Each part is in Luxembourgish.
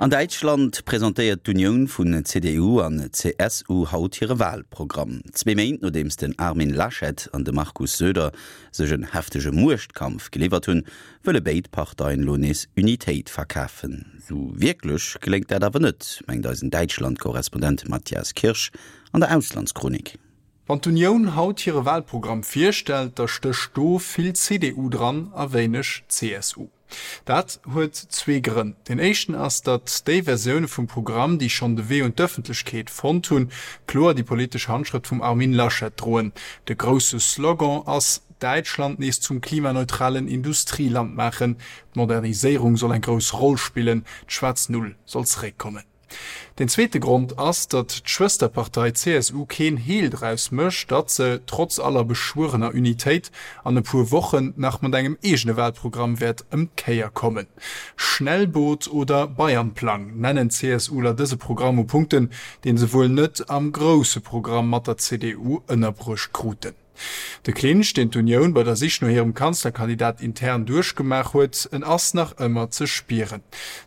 An Däitschland presentéiert d'Unioun vun CDU an CSU haut hire Walprogramm. Zwee Méint nodeems den Armin Laschet an de Markus Söder sech en heftege Muechtkampf geliwwert hunn, wëlle béid Parteien elo nees Unitéit verkafen. Sou wierklech geléngt dat awer net, mengt eisen Däitschland-Korrespondent Matthias Kirsch an der Auslandschronik. Wann d'Unioun haut hire Walprogramm virstellt, da stécht do vill CDU dran a wéineg CSU. Dat huet zwee Grënn. Deen éischten ass, datt déi Versioune vum Programm, déi schonn de Wee un d'Ëffentlechkeet fonnt hunn, kloer déi politesch Handschrëft vum Armin Laschet droen. De grousse Slogan ass, Däitschland nees zum klimaneutralen Industrieland maachen. D'Moderniséierung soll eng grouss Roll spillen, d'schwaarz Null soll zeréckkommen. Deen zweete Grond ass, datt d'Schwësterpartei CSU keen Heel draus mécht, datt se, trotz aller beschwuerener Unitéit, an e puer Wochen nach mat engem eegene Wahlprogramm wäert ëm d'Kéier kommen. Schnellboot oder Bayernplang nennen d'CSUler dëse Programm u Punkten, dee se wuel net am grousse Programm mat der CDU ënnerbruecht kruten. De Clinch, deen d'Unioun bei der Sich no hirem Kanzlerkandidat intern duerchgemaach huet, en ass nach ëmmer ze spieren.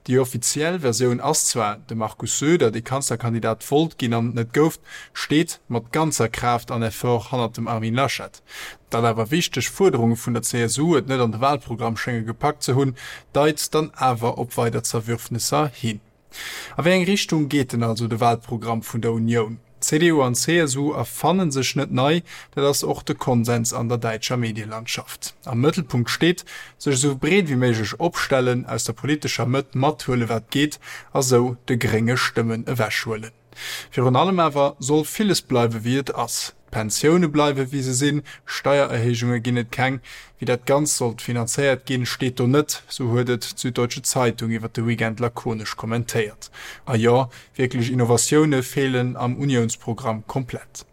Déi offiziell Versioun ass zwar, de Markus Söder, dee Kanzlerkandidat wollt ginn an et net gouf, steet mat ganzer Kraaft an Effort hannert dem Armin Laschet. Datt awer wichteg Fuerderunge vun der CSU et net an de Wahlprogramm schénge gepackt ze hunn, deit dann awer op weider Zerwürfnesser hin. A wéi eng Richtung geet denn also de Wahlprogramm vun der Unioun? CDU an CSU erfannen sech net nei, dat ass och de Konsens an der däitscher Medielandschaft. Am Mëttelpunkt steet, sech esou breet wéi méiglech opstellen, aus der politescher Mëtt mathuele wat geet a sou de Grénge Stëmmen ewechhuelen. Virun allem awer soll villes bleiwe wéi et ass. D'Pensioune bleiwe wéi se sinn, Steiererhéijunge ginn et keng. Wéi dat Ganzt sollt finanzéiert ginn, steet do net, sou huet et d'Süddeutsche Zeitung iwwer de Weekend lakonesch kommentéiert. A jo, wierklech Innovatioune feelen am Uniounsprogramm komplett.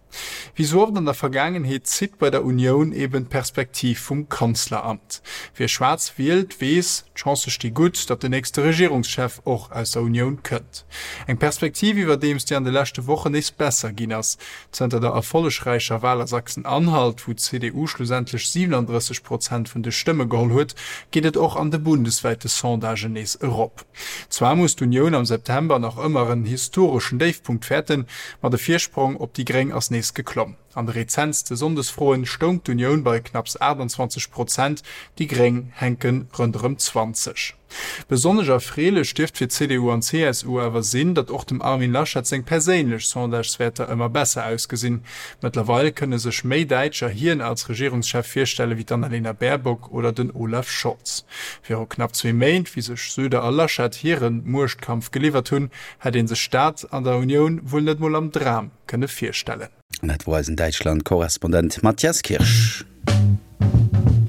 Wéi sou oft an der Vergaangenheet zitt bei der Unioun eben d'Perspektiv vum Kanzleramt. Wie schwaarz wielt, weess, d'Chancë sti gutt, datt den nächste Regierungschef och aus der Unioun kënnt. Eng Perspektiv iwwerdeems, déi an de leschte Wochen nees besser ginn ass. Zënter der erfollegräicher Wal a Sachsen-Anhalt, wou d'CDU schlussendlech 37 Prozent vun de Stëmme geholl huet, geet et och an de bundeswäite Sondagen nees erop. Zwar muss d'Unioun am September nach ëmmer en historeschen Déifpunkt fäerten, ma de Virsprong op déi Gréng ass nees geklomm. An de rezentste Sonndesfroen stoung d'Unioun bei knapps 28 Prozent, déi Gréng hänke ronderëm 20. Besonnesch erfreelech dierft fir CDU an CSU awer sinn, datt och dem Armin Laschet seng perséinlech Sondageswäerter ëmmer besser ausgesinn. Mëttlerweil kënne sech méi Däitscher hien als Regierungschef virstelle wéi d'Annalena Baerbock oder den Olaf Scholz. Viru knapp zwee Méint, wéi sech Söder a Laschet hire Muechtkampf geliwwert hunn, hätt ee sech dat an der Unioun wuel net mol am Dram kënne virstellen. An dat wor eisen Däitschland-Korrespondent Matthias Kirsch.